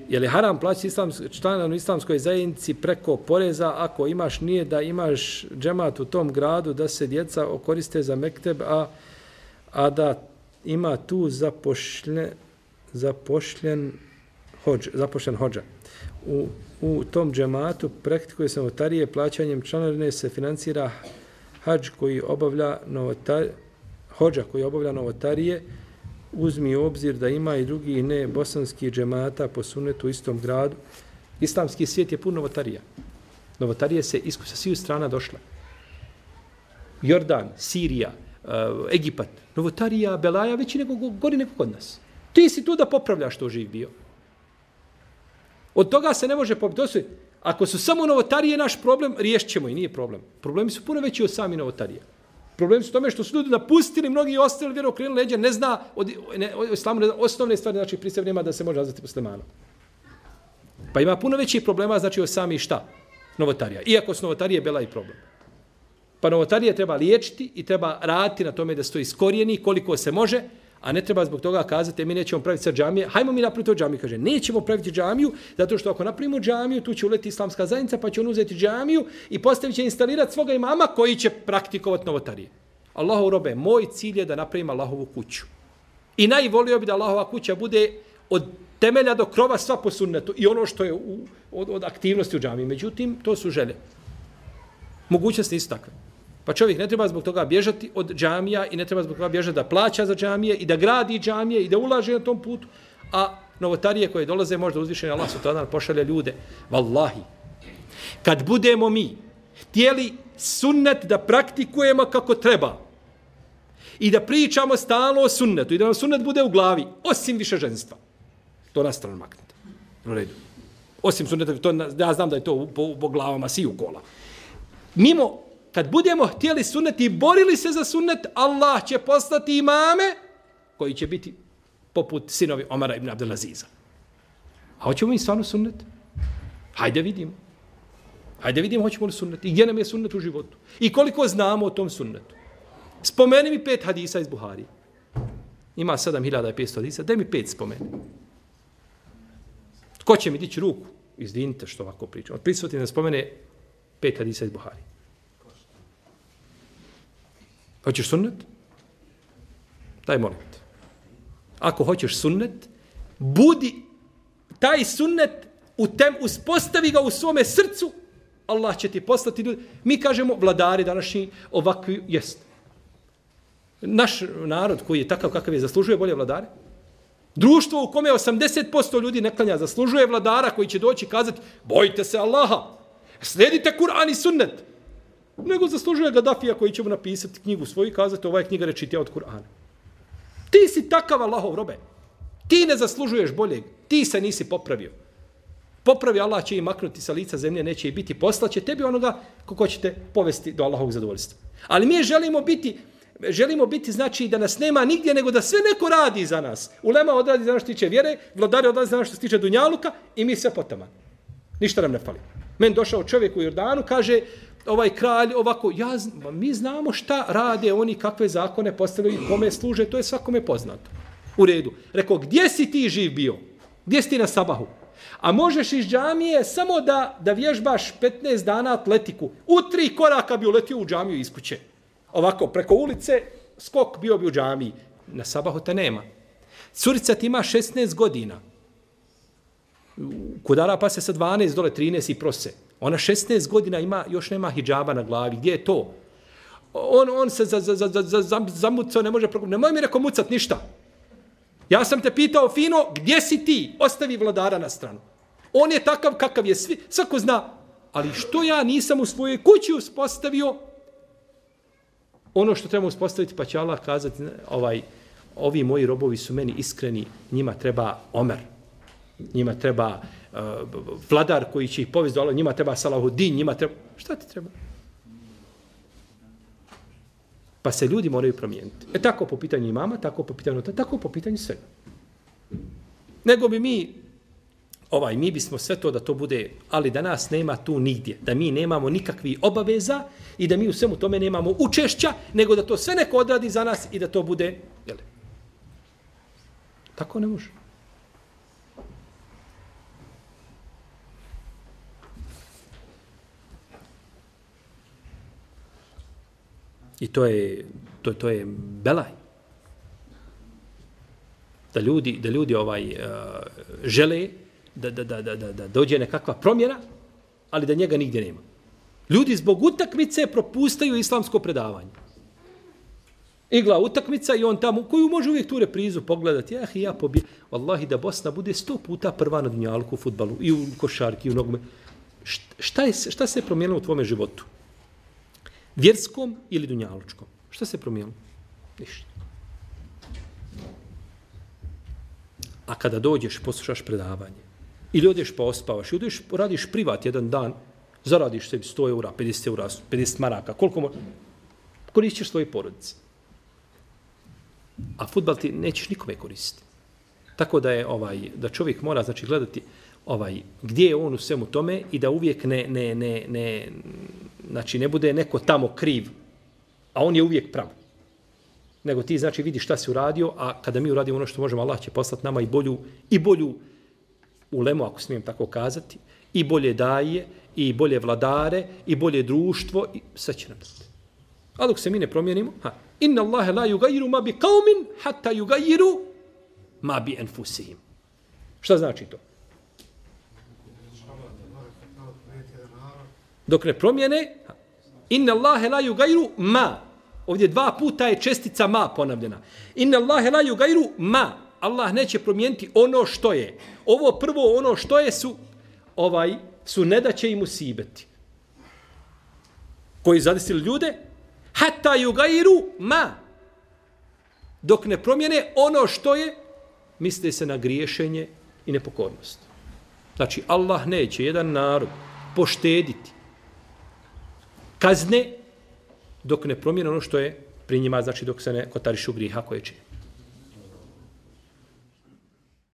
Je li haram plaćati članu islamskoj zajednici preko poreza ako imaš nije da imaš džemat u tom gradu da se djeca koriste za mekteb, a da ima tu zapošljen hodža. U tom džematu praktikuje se novotarije, plaćanjem članarine se financira hodža koji obavlja novotarije. Uzmi u obzir da ima i drugi ne bosanski džemata po sunnetu u istom gradu. Islamski svijet je pun novotarija. Novotarije se sa svih strana došla. Jordan, Sirija, Egipat. Novotarija, belaja, veći gori nego kod nas. Ti si tu da popravljaš što živ bio. Od toga se ne može popraviti. Ako su samo novotarije naš problem, riješit ćemo i nije problem. Problemi su puno veći od sami novotarija. Problem su tome što su ljudi napustili, mnogi ostali vjeru okrenuli leđa, ne zna od islamu osnovne stvari, znači prije svega nema da se može nazvati muslimanom. Pa ima puno većih problema, znači od sami šta? Novotarija. Iako su novotarije bela i problem. Pa novotarije treba liječiti i treba raditi na tome da se to iskorijeni koliko se može, a ne treba zbog toga kazati mi nećemo praviti sad džamije. Hajmo mi napraviti to džamiju. Kaže, nećemo praviti džamiju, zato što ako napravimo džamiju, tu će uleti islamska zajednica, pa će on uzeti džamiju i postavit će instalirati svoga imama koji će praktikovati novotarije. Allahov robe, moj cilj je da napravim Allahovu kuću. I najvolio bi da Allahova kuća bude od temelja do krova sva po sunnetu i ono što je od aktivnosti u džamiji. Međutim, to su želje. Mogućnosti nisu takve. Pa čovjek ne treba zbog toga bježati od džamija i ne treba zbog toga bježati da plaća za džamije i da gradi džamije i da ulaže na tom putu. A novotarije koje dolaze možda uzvišeni Allah subhanahu pošalje ljude. Wallahi, kad budemo mi htjeli sunnet da praktikujemo kako treba i da pričamo stalno o sunnetu i da nam sunnet bude u glavi, osim više ženstva, to na stranu maknete. U redu. Osim sunneta, to, ja znam da je to po glavama siju kola. Kad budemo htjeli sunnet i borili se za sunnet, Allah će poslati imame koji će biti poput sinovi Omara ibn Abdelaziza. A hoćemo mi stvarno sunnet? Hajde vidimo. Hajde vidimo hoćemo li sunnet. I gdje nam je sunnet u životu. I koliko znamo o tom sunnetu. Spomeni mi 5 hadisa iz Buharije. Ima 7500 hadisa. Daj mi 5 spomeni. Ko će mi dići ruku? Izvinite što ovako pričam. Prisutite da spomene 5 hadisa iz Buharije. Hoćeš sunnet? Daj molim te. Ako hoćeš sunnet, budi taj sunnet uspostavi ga u svome srcu, Allah će ti poslati ljudi. Mi kažemo, vladari današnji ovakvi jest. Naš narod koji je takav kakav je, zaslužuje bolje vladare. Društvo u kome 80% ljudi ne klanja, zaslužuje vladara koji će doći i kazati, bojite se Allaha, slijedite Kur'an i sunnet. Nego zaslužuje Gaddafija koji će mu napisati knjigu svoju i kazati, ova je knjiga rečitija od Kur'ana. Ti si takav Allahov robe. Ti ne zaslužuješ boljeg. Ti se nisi popravio. Popravi Allah će i maknuti sa lica zemlje, neće i biti, poslaće tebi onoga kako ćete povesti do Allahovog zadovoljstva. Ali mi želimo biti znači da nas nema nigdje, nego da sve neko radi za nas. Ulema odradi za nas što tiče vjere, vladari odradi za nas što tiče dunjaluka i mi sve potaman. Ništa nam ne fali. Men došao čovjek u Jordanu, kaže, ovaj kralj ovako, mi znamo šta rade oni, kakve zakone postavljaju i kome služe, to je svakome poznato. U redu. Rekao, gdje si ti živ bio? Gdje si ti na sabahu? A možeš iz džamije samo da vježbaš 15 dana atletiku. U 3 koraka bi uletio u džamiju iz kuće. Ovako, preko ulice, skok bio bi u džamiji. Na sabahu te nema. Curica ti ima 16 godina. Kudara pa se sa 12 dole 13 i prose. Ona 16 godina ima, još nema hidžaba na glavi. Gdje je to? On se zamucao, ne može prokupiti. Nemoj mi rekao mucat ništa. Ja sam te pitao fino, gdje si ti? Ostavi vladara na stranu. On je takav kakav je, svako zna. Ali što ja nisam u svojoj kući uspostavio ono što treba uspostaviti, pa će Allah kazati, ovi moji robovi su meni iskreni, njima treba Omer. Njima treba vladar koji će ih povesti do Allah, njima treba Salahuddin, njima treba... Šta ti treba? Pa se ljudi moraju promijeniti. Tako po pitanju imama, tako po pitanju tako po pitanju svega. Nego bi mi bismo sve to da to bude, ali da nas nema tu nigdje, da mi nemamo nikakvih obaveza i da mi u svemu tome nemamo učešća, nego da to sve neko odradi za nas i da to bude, jel? Tako ne može. I to je belaj. Da ljudi žele da dođe nekakva promjena, ali da njega nigdje nema. Ljudi zbog utakmice propustaju islamsko predavanje. Igla utakmica i on tamo, koju može uvijek tu reprizu pogledati. Ja pobije. Wallahi da Bosna bude 100 puta prva na dunjalku u fudbalu, i u košarki, i u nogome. Šta se je promijenilo u tvome životu? Vjerskom ili dunjalučkom? Šta se je promijenilo? Ništa. A kada dođeš, poslušaš predavanje, ili odeš pa ospavaš, ili odeš, radiš privat jedan dan, zaradiš sebi 100 eura, 50 eura, 50 maraka, koliko možeš, koristiš svoje porodice. A fudbal ti nećeš nikome koristiti. Tako da je da čovjek mora znači gledati gdje je on u svemu tome i da uvijek znači ne bude neko tamo kriv, a on je uvijek prav. Nego ti znači vidi šta si uradio, a kada mi uradimo ono što možemo, Allah će poslati nama i bolju ulemu, ako smijem tako kazati, i bolje daje, i bolje vladare, i bolje društvo, i sve će nam dati. A dok se mi ne promijenimo, inna Allahe la yugayiru ma bi qaumin hatta yugayiru ma bi anfusihim. Šta znači to? Dok ne promijene, inna Allahe la yugayiru ma. Ovdje 2 puta je čestica ma ponavljena. Inna Allahe la yugayiru ma. Allah neće promijeniti ono što je. Ovo prvo ono što je su nedaće i musibeti. Koji zadesili ljude, hatta yugayiru ma. Dok ne promijene ono što je, misle se na griješenje i nepokornost. Znači, Allah neće jedan narod poštediti kazne dok ne promijene ono što je pri njima, znači dok se ne kotarišu griha koje čine.